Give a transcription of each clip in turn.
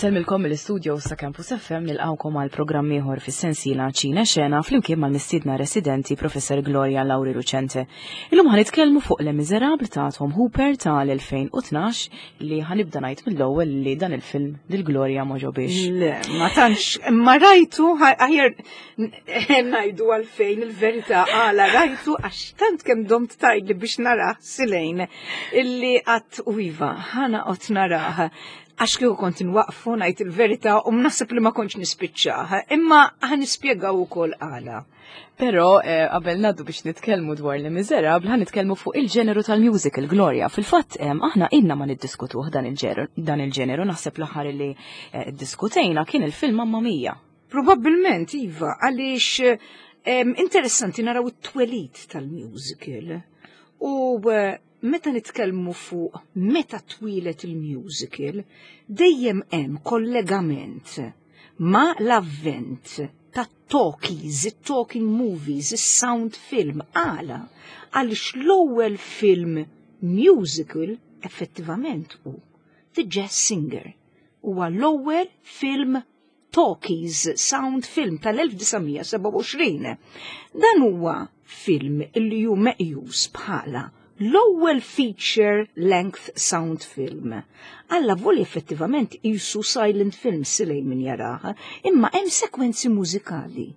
Insellmilkom mill-istudio sa Campus FM nilqawkom għal programm ieħor fis-sensiela Ċina Xena flimkien mal-mistiedna residenti Professor Gloria Lauri Lucente. Illum ħa nitkellmu fuq Le Miserable ta' Tom Hooper tal-2012 li ħanibda ngħid mill-ewwel li dan il-film lil Gloria ma ġobiex. Le, ma tantx, ma rajtu aħjar ngħidu għalfejn il-verità għala rajtu għax tant kemm domt tgħidli biex narah silejn illi qatt u iva ħana qod narah għax kieku kont nwaqfu ngħid il-verità u mnaħseb li ma kontx nispiċċah, imma ħa nispjegaw ukoll għala. Però eh, qabel naddu biex nitkellmu dwar li Miserable, ħa nitkellmu fuq il-ġeneru tal-musical Gloria. Fil-fatt aħna inna ma niddiskutuh dan il-ġeneru, naħseb l-aħħar li eh, diskutejna kien il-film Mamma Mia. Probabbilment, iva, għaliex interessanti naraw it-twelid tal-musical. U eh, meta nitkellmu fuq meta twilet il-musical, dejjem hemm kollegament ma l-avvent ta' talkies, talking movies, sound film, għala, għaliex l-ewwel film musical effettivament hu The Jazz Singer. Huwa l-ewwel film Talkies Sound Film tal-1927. Dan huwa film li hu meqjus bħala l-ewwel feature length sound film. Alla voli effettivament jisu silent film silej min jaraha, imma hemm sekwenzi mużikali.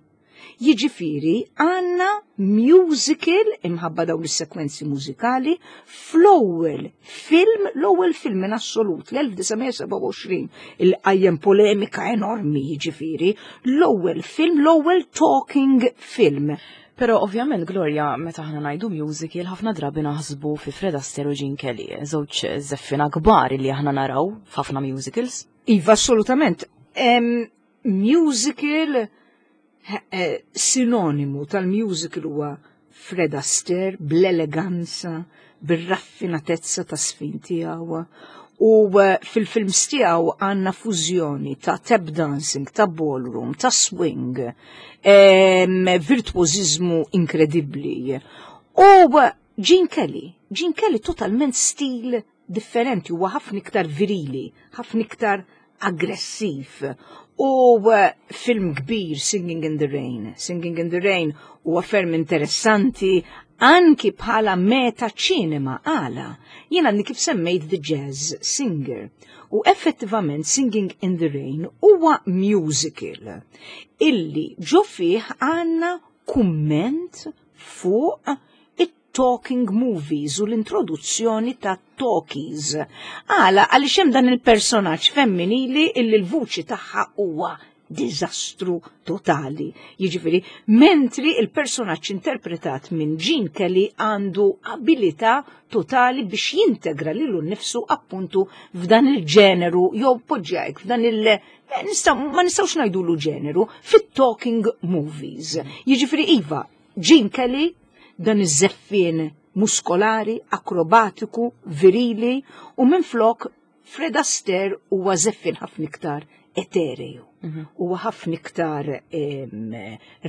Jiġifieri għandna musical imħabba dawn is-sekwenzi mużikali fl-ewwel film, l-ewwel film in assolut l-1927 il qajjem polemika enormi jiġifieri, l-ewwel film, l-ewwel talking film. Pero ovvjament Gloria, meta aħna ngħidu musical, ħafna drabi naħsbu fi Fred Astaire u Gene Kelly, żewġ żeffina kbar li aħna naraw f'ħafna musicals. Iva, assolutament. Musical eh, sinonimu tal-musical huwa Fred Astaire bl-eleganza, bir-raffinatezza ta' sfin tiegħu. U eh, fil-films tiegħu għandna fużjoni ta' tap dancing, ta' ballroom, ta' swing, virtuożiżmu inkredibbli. U eh, Gene Kelly, Gene Kelly totalment stil differenti, huwa ħafna iktar virili, ħafna iktar aggressiv. U eh, film kbir, Singing in the Rain. Singing in the Rain huwa ferm interessanti anki bħala meta ċinema għala. Jiena għandi kif semmejt The Jazz Singer. U effettivament Singing in the Rain huwa musical illi ġo fih għandna kumment fuq talking movies u l-introduzzjoni ta' talkies. Għala, għaliex hemm dan il-personaġġ femminili illi l-vuċi tagħha huwa diżastru totali. Jiġifieri, mentri il-personaġġ interpretat minn Gene Kelly għandu abilità totali biex jintegra lilu nnifsu appuntu f'dan il-ġeneru jew poġġajk f'dan il- ma nistgħux ngħidulu ġeneru fit-talking movies. Jiġifieri iva, Gene Kelly, dan iż-żeffien muskolari, akrobatiku, virili u minflok Fred Astaire huwa żeffien ħafna iktar etereju. Mhm. Huwa ħafna iktar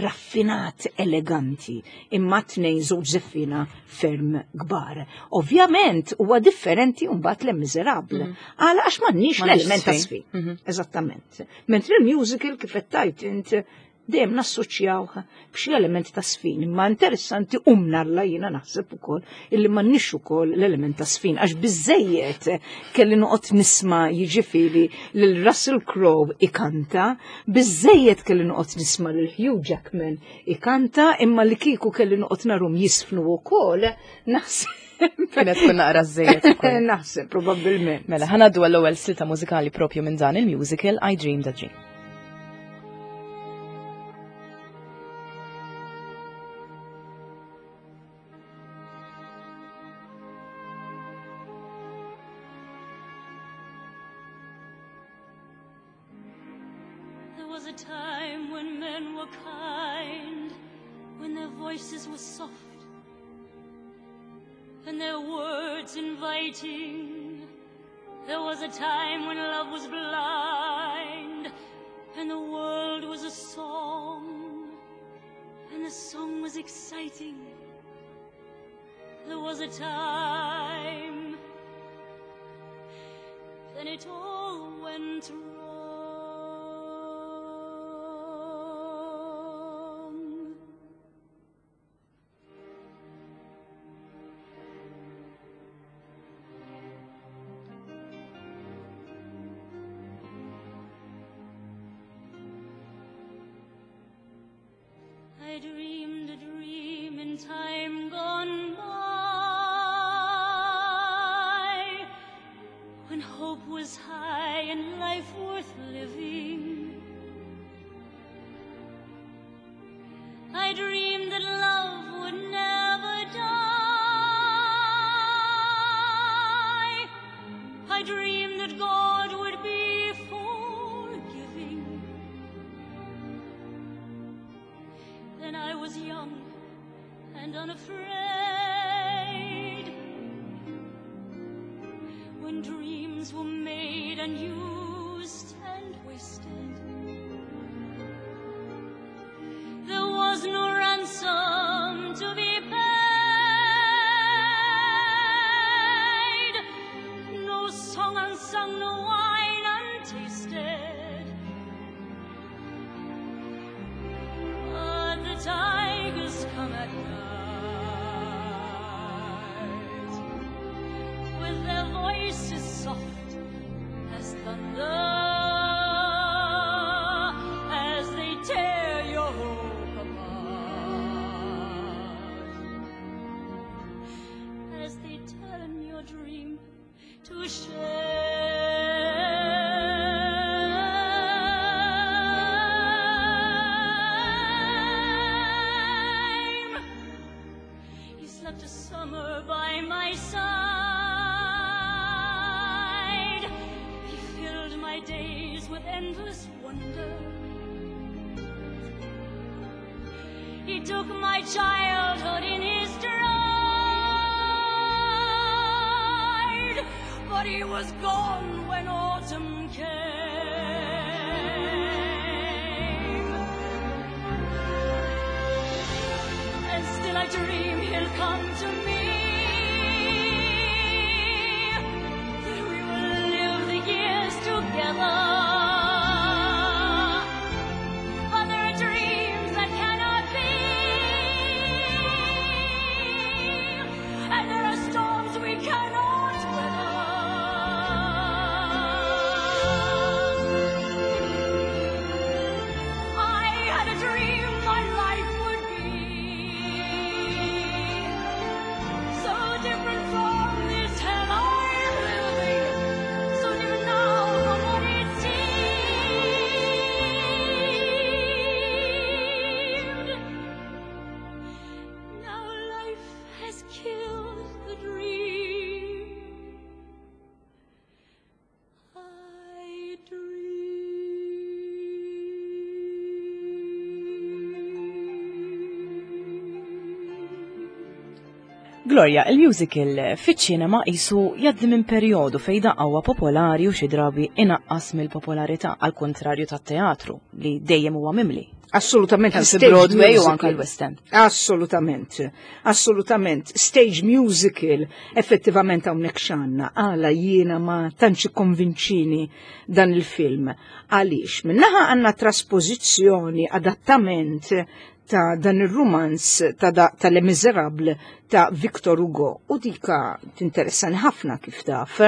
raffinat, eleganti, imma tnejn żewġ żeffina ferm kbar. Ovvjament huwa differenti mbagħad Le Miserable. Mhm. Għala għax m'għandniex l-element ta' sfi. Mhm. Eżattament. Mentri l-musical kif qed tgħid int dejjem nassoċjawh b'xi element ta' sfin, imma interessanti u mnalla jiena naħseb ukoll illi m'għandniex ukoll l-element ta' sfin għax biżejjed kelli noqgħod nisma' jiġifieri lil Russell Crowe ikanta, biżejjed kelli noqgħod nisma' lil Hugh Jackman ikanta, imma li kieku kelli noqgħod narhom jisfnu wkoll naħseb Kienet tkun naqra żejjed. Naħseb probabbilment. Mela ħanaddu għall-ewwel silta mużikali propju minn dan il-musical I Dreamed a Dream. There was a time when men were kind, when their voices were soft, and their words inviting. There was a time when love was blind, and the world was a song, and the song was exciting. There was a time, then it all went wrong. I dreamed a dream in time gone by, when hope was high and life worth living. I dreamed that love would never die. I dreamed that God would be forgiving. Then I was young and unafraid. When dreams were made and used and wasted, there was no ransom to be paid, no song unsung, no wine untasted. But the tigers come at night with their voices soft as thunder as they tear your hope apart, as they turn your dream to shame. He slept a summer by my side. He filled my days with endless wonder. He took my childhood in his stride, but he was gone when autumn came. And still I dream he'll come to me. That we will live the years together. But there are dreams that cannot be, and there are storms we cannot weather. I had a dream my life would be so different from this hell I'm living, so different now from what it seemed. Now life has killed the dream I dreamed. Gloria, il-musical fiċ-ċinema qisu jgħaddi minn perjodu fejn daqqa huwa popolari u xi drabi inaqqas mill-popolarità għal kontrarju tat-teatru li dejjem huwa mimli. Assolutament. Kemm fi stage Broadway u musical. anka l-West End. Assolutament, assolutament. Stage musical, effettivament hawnhekk x'għandna, għala jiena ma tantx konvinċini dan il-film. Għaliex, minnaħa għandna trasposizzjoni, adattament ta' dan il-romanz ta', da, ta' Les Miserables ta' Victor Hugo u dika tinteressani ħafna kif taf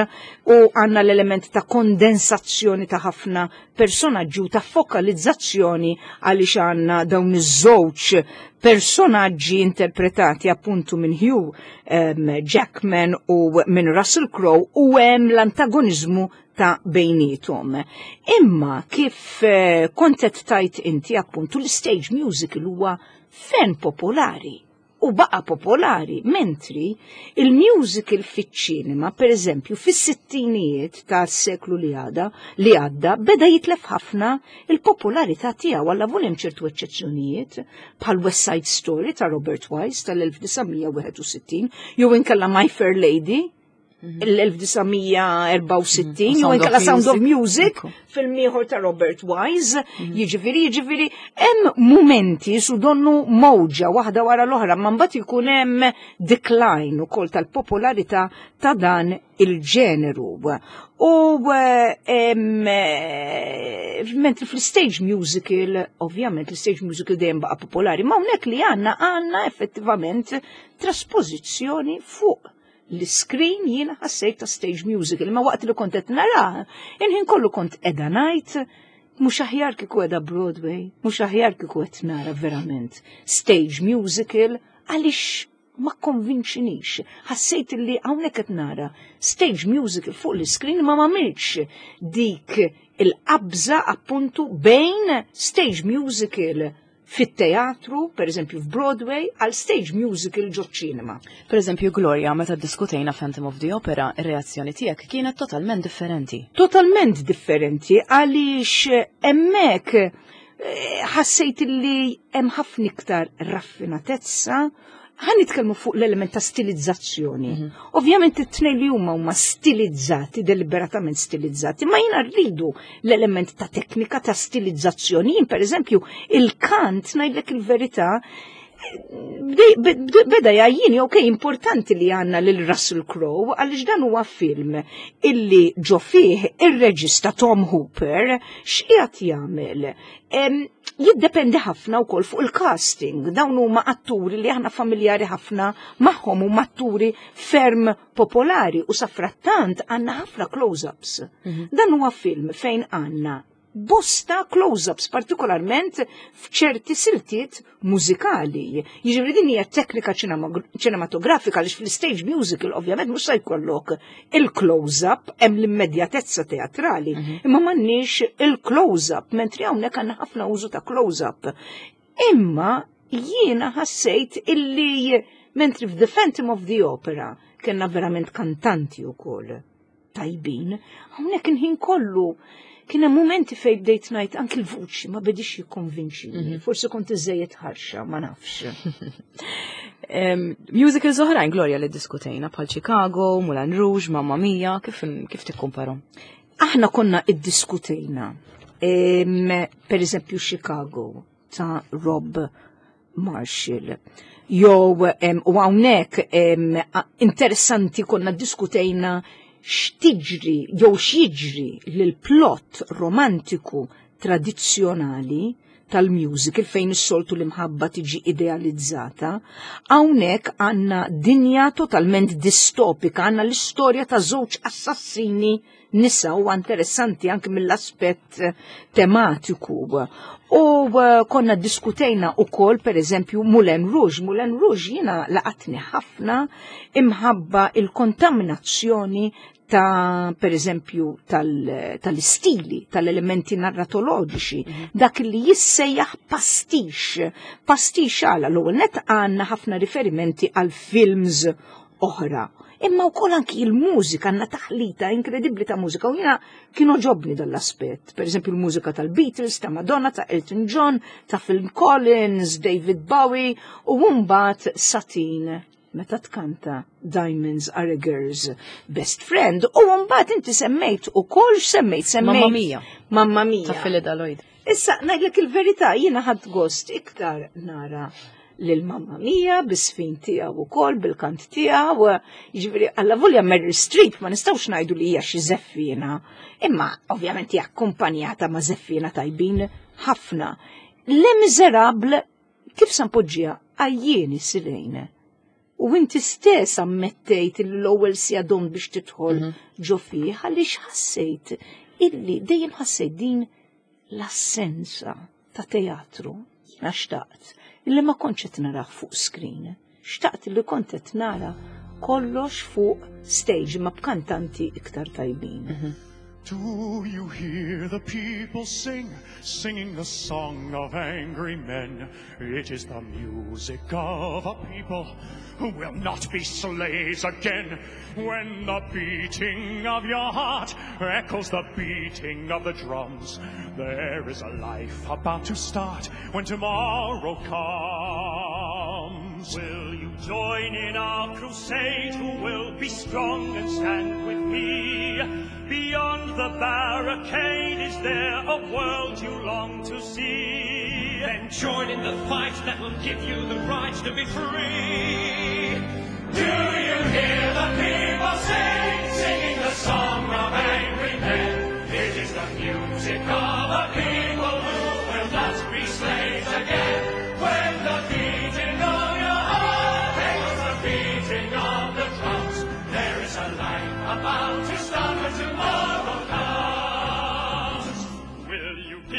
u għanna l-element ta' kondensazzjoni ta' ħafna personaġġi u ta' fokalizzazzjoni għaliex għanna dawn iż-żewġ personaġġi interpretati appuntu minn Hugh Jackman u minn Russell Crowe u hemm l-antagonizmu ta' bejnietom. Imma kif kont qed tajt inti appuntu l-stage musical huwa fen popolari u baqa popolari, mentri il-musical fiċ-ċinema, per eżempju, fis-sittinijiet tas-seklu li għada li għadda, beda jitlef ħafna il-popolarità tiegħu għalla hemm ċertu eċċezzjonijiet bħal West Side Story ta' Robert Wise tal-1961, jew inkella My Fair Lady l-1964, jew Sound of inkella Sound of Music. Music, film ieħor ta' Robert Wise, jiġifieri, hemm mumenti su donnu mowġa waħda wara l-oħra, ma mbagħad ikun hemm decline ukoll tal-popolarità ta' dan il-ġeneru. U mentri fl-stage musical, ovvjament l-stage musical dejjem baqa' popolari, ma hawnhekk li għandna għandna effettivament trasposizzjoni fuq l-screen jiena ħassejt ta' stage musical, ma waqt li kont qed nara, inħin kollu kont qiegħda ngħid Mhux aħjar kieku qiegħda Broadway, mhux aħjar kieku qed nara verament stage musical għaliex ma konvinċinix. Ħassejt li hawnhekk qed nara stage musical fuq l-iskrin ma m'għamilx dik il-qabża appuntu bejn stage musical fit-teatru, per eżempju f'Broadway, għal stage musical ġo ċinema. Per eżempju, Gloria, meta diskutejna Phantom of the Opera, ir-reazzjoni tiegħek kienet totalment differenti. Totalment differenti għaliex hemmhekk ħassejt li hemm ħafna iktar raffinatezza. Ħa nitkellmu fuq l-element ta' stilizzazzjoni. Ovvjament it-tnejn li huma huma stilizzati, deliberatament stilizzati, ma jiena rridu l-element ta' teknika ta' stilizzazzjoni. Jien per eżempju il-kant ngħidlek il-verità beda jgħajjini, ok, importanti li għandna lil Russell Crowe, għaliex dan huwa film illi ġo fih ir-reġista Tom Hooper x'qiegħed jagħmel. Jiddependi ħafna wkoll fuq il-casting. Dawn huma atturi li aħna familjari ħafna magħhom, huma atturi ferm popolari u safrattant għandna ħafna close-ups. Dan huwa film fejn għandna bosta close-ups, partikolarment f'ċerti siltiet mużikali. Jiġifieri din hija teknika ċinematografika għaliex fl-stage musical ovvjament mhux se jkollok il-close-up, hemm l-immedjatezza teatrali, imma m'għandniex il-close-up, mentri hawnhekk għandna ħafna użu ta' close-up. Imma jiena ħassejt illi mentri f'The Phantom of the Opera kellna verament kantanti wkoll tajbin, hawnhekk il-ħin kollu kien hemm momenti fejn bdejt ngħid anki l-vuċi ma bedix jikkonvinċini. Forsi kont iżejjed ħarxa, ma nafx. Musicals oħrajn, Gloria, li diskutejna bħal Chicago, Moulin Rouge, Mamma Mia, kif tikkumparhom? Aħna konna iddiskutejna, per eżempju Chicago ta' Rob Marshall. Jew u hawnhekk interessanti konna diskutejna x'tiġri jew x'jiġri lil plot romantiku tradizzjonali tal-musical fejn is-soltu l-imħabba tiġi idealizzata. Hawnhekk għandna dinja totalment distopika, għandna l-istorja ta' żewġ assassini nisa u interessanti anke mill-aspett tematiku. U konna diskutejna u kol, per eżempju, Moulin Rouge. Moulin Rouge jiena laqatni ħafna imħabba il-kontaminazzjoni ta' per eżempju, tal-istili, tal-elementi narratoloġiċi, dak li jissejjaħ pastiche. Pastiche għala l-ewwel net għandna ħafna riferimenti għal films oħra. Imma wkoll anki il-mużika, għandna taħlita inkredibbli ta' mużika u jiena kienu għoġobni dal-aspett. Per eżempju, il-mużika tal-Beatles, ta' Madonna, ta' Elton John, ta' Phil Collins, David Bowie u mbagħad Satine meta tkanta Diamonds Are a Girl's Best Friend. U mbagħad inti semmejt ukoll semmejt semmejt. Mamma Mia. Mamma Mia. Ta' Phyllida Lloyd. Issa, ngħidlek il-verità, jiena ħadt gost iktar nara lil Mamma Mia bis-sfin tiegħu ukoll bil-kant tiegħu, jiġifieri alla volja Meryl Streep ma nistgħux ngħidu li hija xi żeffina, imma ovvjament hija akkumpanjata ma' żeffina tajbin ħafna. Les Miserables kif sa npoġġiha għajjieni silejn. U inti stess ammettejt l-ewwel siegħa domt biex tidħol ġo fih għaliex ħassejt illi dejjem ħassejt din l-assenza ta' teatru. Jiena xtaqt illi ma kontx qed narah fuq screen. Xtaqt illi kont qed nara kollox fuq stage ma b'kantanti iktar tajbin. Do you hear the people sing, singing the song of angry men? It is the music of a people who will not be slaves again. When the beating of your heart echoes the beating of the drums, there is a life about to start when tomorrow comes. Will you join in our crusade? Who will be strong and stand with me? Beyond the barricade, is there a world you long to see? Then join in the fight that will give you the right to be free. Do you hear the people sing, singing the song of angry men? It is the music of a people who will not be slaves again. When the beating of your heart echoes the beating of the drums, there is a life about to start when tomorrow comes. Will you give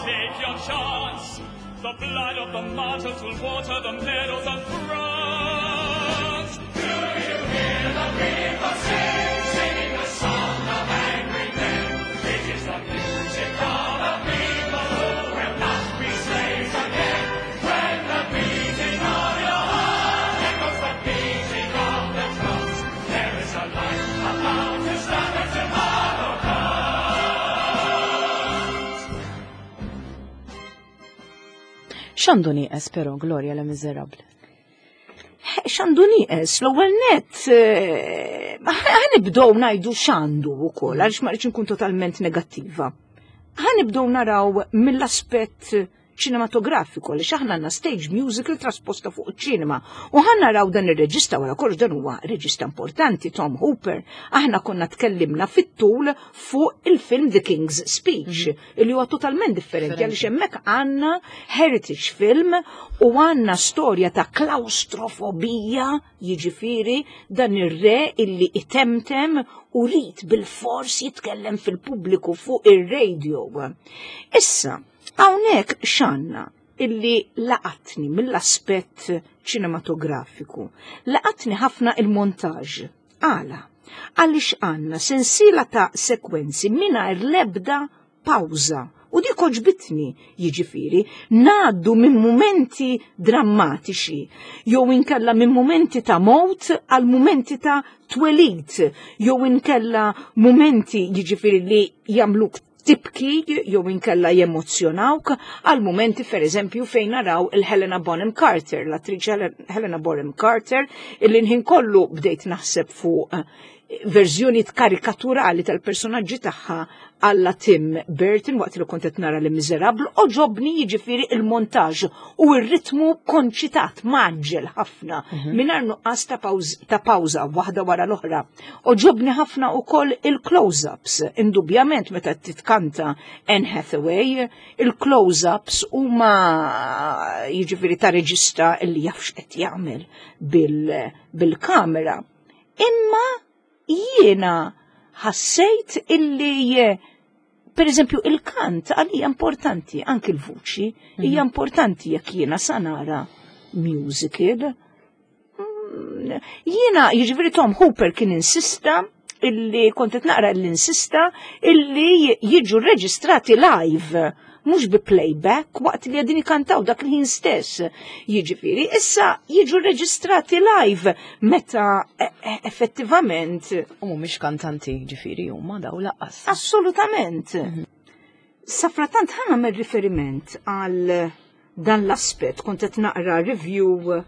Take your chance. The blood of the martyrs will water the meadows of France. Do you hear the people sing, singing the song of angry men? It is the music of a people who will not be slaves again. When the beating of your heart echoes the beating of the drums, there is a light about to start and tomorrow comes. X'għandu nieqes però Gloria Les Misérables? X'għandu nieqes, l-ewwel nett ħa nibdew ngħidu x'għandu wkoll għaliex ma rridx nkun totalment negattiva. Ħa nibdew naraw mill-aspett ċinematografiku li aħna għandna stage musical trasposta fuq iċ-ċinema. U ħa naraw dan ir-reġista wara kollox dan huwa reġista importanti Tom Hooper. Aħna konna tkellimna fit-tul fuq il-film The King's Speech, li huwa totalment differenti għaliex hemmhekk għandna heritage film u għandna storja ta' klaustrofobija, jiġifieri dan ir-re illi itemtem u rid bil-fors jitkellem fil-pubbliku fuq ir-radio. Issa, hawnhekk x'għandna illi laqatni mill-aspett ċinematografiku. Laqatni ħafna il-montaġ. Għala, għaliex għandna sensiela ta' sekwenzi mingħajr l-ebda pawża. U dik għoġbitni, jiġifieri, ngħaddu minn mumenti drammatiċi, jew inkella minn mumenti ta' mowt għal mumenti ta' twelid, jew inkella mumenti jiġifieri li jagħmluk tibki jew inkella jemozzjonawk għal mumenti per eżempju fejn naraw il-Helena Bonham Carter, l-attriċi Helena Bonham Carter, illi nħin kollu bdejt naħseb fuq verżjoni karikaturali tal-personaġġi tagħha alla Tim Burton waqt li kont qed nara Les Misérables, għoġobni jiġifieri il-montaġ u r-ritmu konċitat mgħaġġel ħafna mingħajr nuqqas ta' pawża waħda wara l-oħra. Għoġobni ħafna wkoll il-close-ups, indubjament meta titkanta Anne Hathaway, il-close-ups huma jiġifieri ta' reġista li jaf x'qed jagħmel bil-kamera. Imma jiena ħassejt illi per eżempju il-kant għalija importanti, anki l-vuċi hija importanti jekk jiena sa nara musical. Jiena, jiġifieri Tom Hooper kien insista illi kont qed naqra illi insista illi jiġu reġistrati live, mhux bi playback waqt li qegħdin ikantaw dak il-ħin stess. Jiġifieri, issa jiġu reġistrati live meta effettivament. U mhumiex kantanti ġifieri huma daw lanqas. Assolutament. Safratant ħa nagħmel riferiment għal dan l-aspett, kont qed naqra review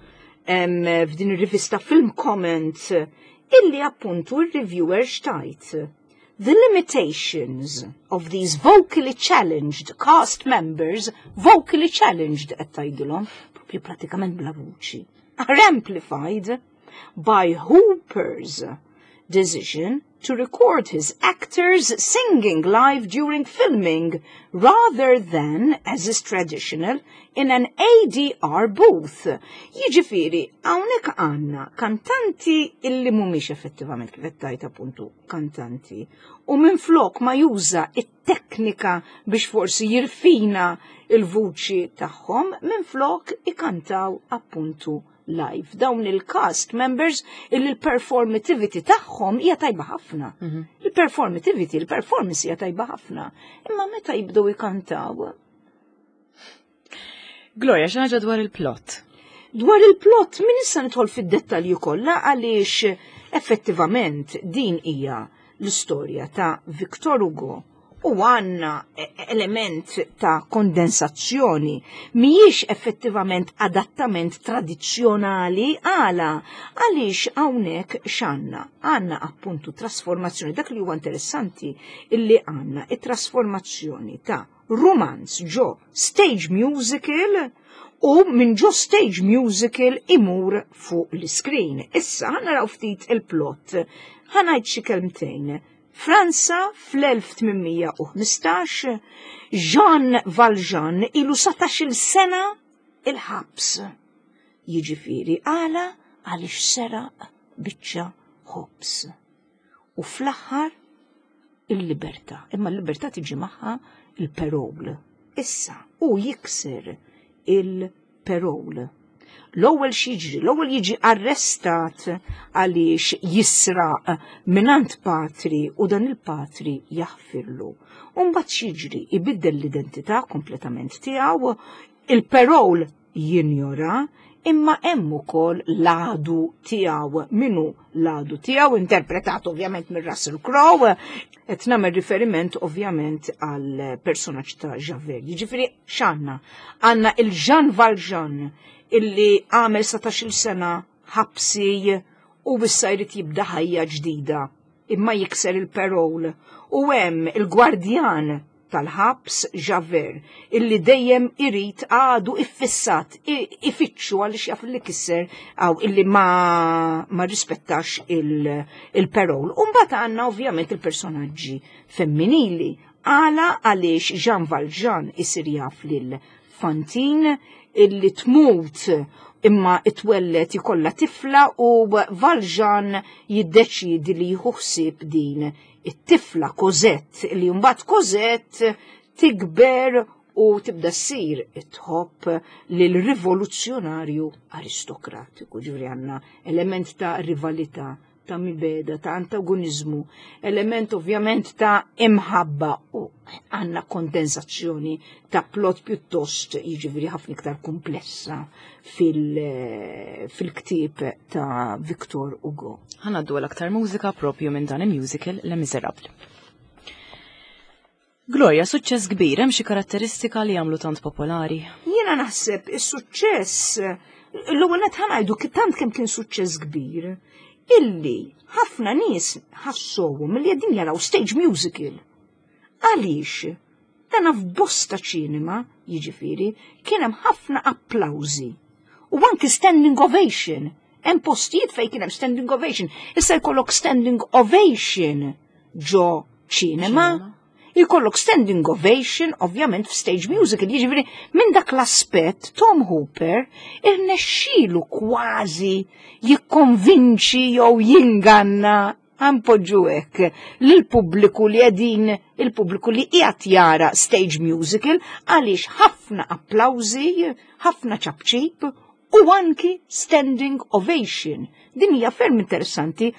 f'din ir-rivista Film Comment illi appuntu il-reviewer xtajt. The limitations of these vocally challenged cast members, vocally challenged qed tgħidilhom, propju pratikament bla vuċi, are amplified by Hooper's decision to record his actors singing live during filming rather than, as is traditional, in an ADR booth. Jiġifieri, hawnhekk għandna kantanti illi mhumiex effettivament kif qed tgħid appuntu kantanti. U minflok ma juża it-teknika biex forsi jirfina il-vuċi tagħhom, minflok ikantaw appuntu live. Dawn il-cast members illi l-performativity tagħhom hija tajba ħafna. Il-performativity, il-performance hija tajba ħafna. Imma meta jibdew ikantaw. Gloria, xi ħaġa dwar il-plot? Dwar il-plot min issa nidħol fid-dettalji kollha għaliex effettivament din hija l-istorja ta' Victor Hugo u għandna element ta' kondensazzjoni mhijiex effettivament adattament tradizzjonali għala għaliex hawnhekk x'għandna? Għandna appuntu trasformazzjoni, dak li huwa interessanti illi għandna it-trasformazzjoni ta' romanz ġo stage musical u minn ġo stage musical imur fuq l-screen. Issa ħa naraw ftit il-plot. Ħa ngħid xi kelmtejn. Franza fl-1815, Jean Valjean ilu 17-il sena il-ħabs. Jiġifieri għala għaliex seraq biċċa ħobż. U fl-aħħar il-libertà. Imma l-libertà tiġi magħha il-parole. Issa, hu jikser il-parole. L-ewwel x'jiġri, l-ewwel jiġi arrestat għaliex jisraq mingħand patri u dan il-patri jaħfirlu. U mbagħad x'jiġri, ibiddel l-identità kompletament tiegħu, il-parole jinjora, imma hemm ukoll l-għadu tiegħu. Min hu l-għadu tiegħu? Interpretat ovvjament minn Russell Crowe, qed nagħmel riferiment ovvjament għal personaġġ ta' Javert. Jiġifieri x'għandna? Għandna il-Jean Valjean illi għamel 17-il sena ħabsi u issa jrid jibda ħajja ġdida imma jikser il-parole u hemm il-gwardjan tal-ħabs Javert illi dejjem irid għadu iffissat ifittxu għaliex jaf li kisser għaw illi ma, ma rispettax il-parole. Il Umbagħad għandna ovvjament il-personaġġi femminili għala għaliex Jean Valjean isir jaf lil Fantine illi tmut imma itwellet jkollha tifla u Valjean jiddeċidi li jieħu ħsieb din it-tifla Cosette li mbagħad Cosette tikber u tibda ssir tħobb lil rivoluzzjonarju aristokratiku. Ġifieri għandna element ta' rivalità, ta' mibegħda, ta' antagonizmu, element ovvjament ta' imħabba u għandna kondensazzjoni ta' plot pjuttost jiġifieri ħafna iktar komplessa fil-ktieb ta' Victor Hugo. Ħa ngħaddu għal aktar mużika propju minn dan il-musical Les Miserables. Gloria, suċċess kbir, hemm xi karatteristika li jagħmlu tant popolari? Jiena naħseb is-suċċess l-ewwel qed ħa ngħidu tant kemm kien suċċess kbir illi ħafna nies ħassowhom li qegħdin jaraw stage musical. Għaliex? Dana f'bosta ċinema, jiġifieri, kien hemm ħafna applawżi. U anki standing ovation. Hemm postijiet fejn kien hemm standing ovation. Issa jkollok standing ovation ġo ċinema. Jkollok standing ovation, ovvjament, f'stage musical. Jiġifieri, minn dak l-aspett, Tom Hooper irnexxielu kważi jikkonvinċi jew jinganna ħa npoġġu hekk lill-pubbliku li qegħdin il-pubbliku li qiegħed jara stage musical għaliex ħafna applawżi, ħafna ċapċip u anki standing ovation. Din hija ferm interessanti.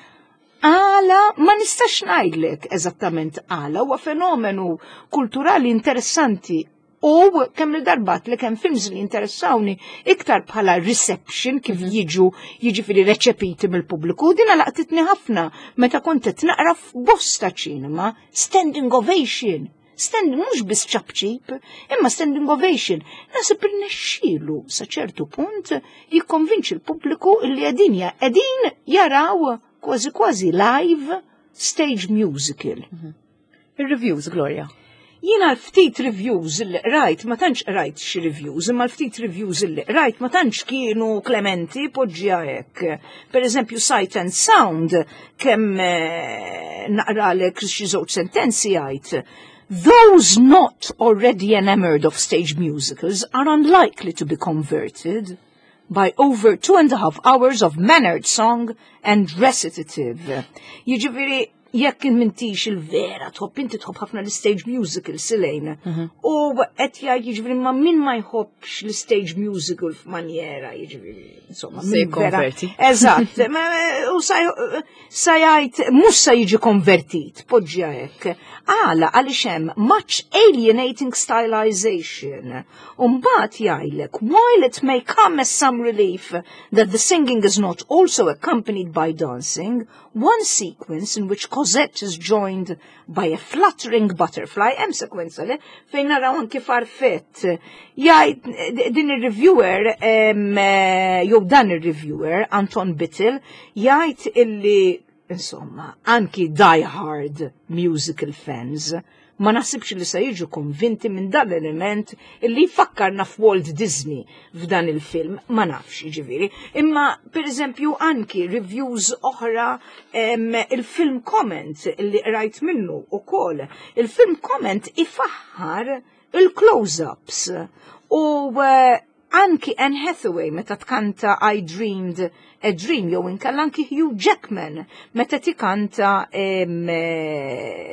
Għala, ma nistax ngħidlek eżattament għala, huwa fenomenu kulturali interessanti u kemm il-darbat li kemm films li interessawni iktar bħala reception kif jiġu jiġifieri reċepiti mill-pubbliku. Dina laqtitni ħafna meta kont qed naqra f'bosta ċinema standing ovation. Standing mhux biss ċapċip, imma standing ovation. Naħseb irnexxielu sa ċertu punt jikkonvinċi l-pubbliku li qegħdin qegħdin jaraw kważi kważi live stage musical. Il-reviews, Gloria. Jiena l-ftit reviews li rajt, ma tantx rajt xi reviews, imma l-ftit reviews li rajt ma tantx kienu klementi poġġiha hekk. Per eżempju, Sight and Sound, kemm naqralek xi żewġ sentenzi jgħid. Those not already enamored of stage musicals are unlikely to be converted by over 2.5 hours of mannered song and recitative. Jiġifieri, jekk m'intix il-vera tħobb, inti tħobb ħafna l-stage musical silejn. U qed jgħid jiġifieri ma min ma jħobbx l-stage musical f'manjera, jiġifieri, insomma, Se min vera- jikkonverti. Eżatt, u sa jgħid mhux sa jiġi konvertit, poġġja hekk. Għala għaliex hemm much alienating stylization. Umbagħad jgħidlek, while it may come as some relief that the singing is not also accompanied by dancing, one sequence in which Cosette is joined by a fluttering butterfly, hemm sekwenza le, fejn naraw anki farfett. Jgħid din ir-reviewer, jew dan ir-reviewer, Anton Bitel, jgħid illi insomma, anki die-hard musical fans ma naħsibx li se jiġu konvinti minn dan l-element illi jfakkarna f'Walt Disney f'dan il-film, ma nafx ġifieri. Imma, per eżempju, anki reviews oħra il-film comment li rajt minnu u kol, il-film comment ifaħħar il-close-ups u anki Anne Hathaway meta tkanta I Dreamed a Dream jew inkella anki Hugh Jackman meta tikanta eh,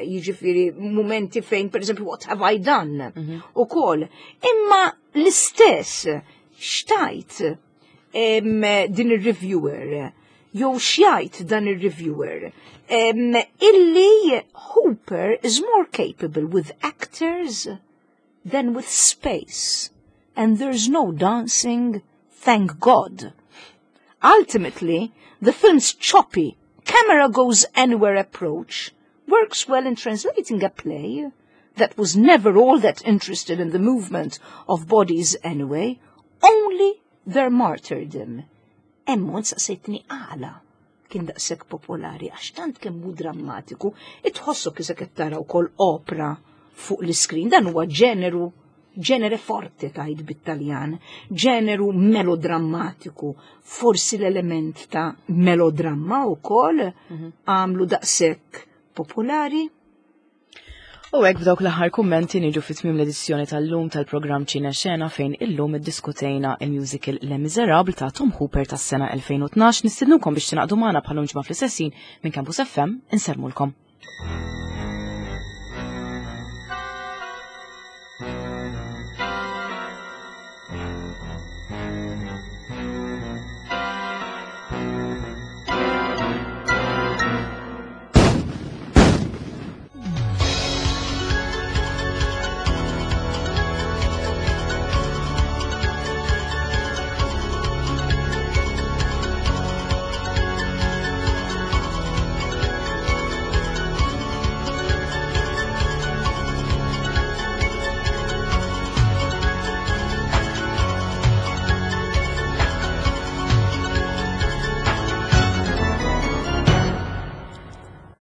jiġifieri mumenti fejn pereżempju What Have I Done mhm. ukoll. Imma l-istess xtajt din ir-reviewer jew xjajt dan ir-reviewer illi Hooper is more capable with actors than with space and there's no dancing, thank God. Ultimately, the film's choppy, camera goes anywhere approach works well in translating a play that was never all that interested in the movement of bodies anyway, only their martyrdom. Emmon saqsejtni għala kien daqshekk popolari għax tant kemm hu drammatiku, itħossok isek qed tara wkoll opra fuq l-iskrin. Dan huwa ġeneru ġenere forte tajt bit-Taljan, ġeneru melodrammatiku, forsi l-element ta' melodramma wkoll mhm. għamlu daqshekk popolari. U hekk b'dawk l-aħħar kummenti niġu fi tmiem l-edizzjoni tal-lum tal-programm Ċina Xena fejn illum iddiskutejna il-musical Les Miserables ta' Tom Hooper tas-sena 2012 nistednukom biex tingħaqdu magħna bħal ġimgħa fl-istessin minn Campus FM insellmulkom.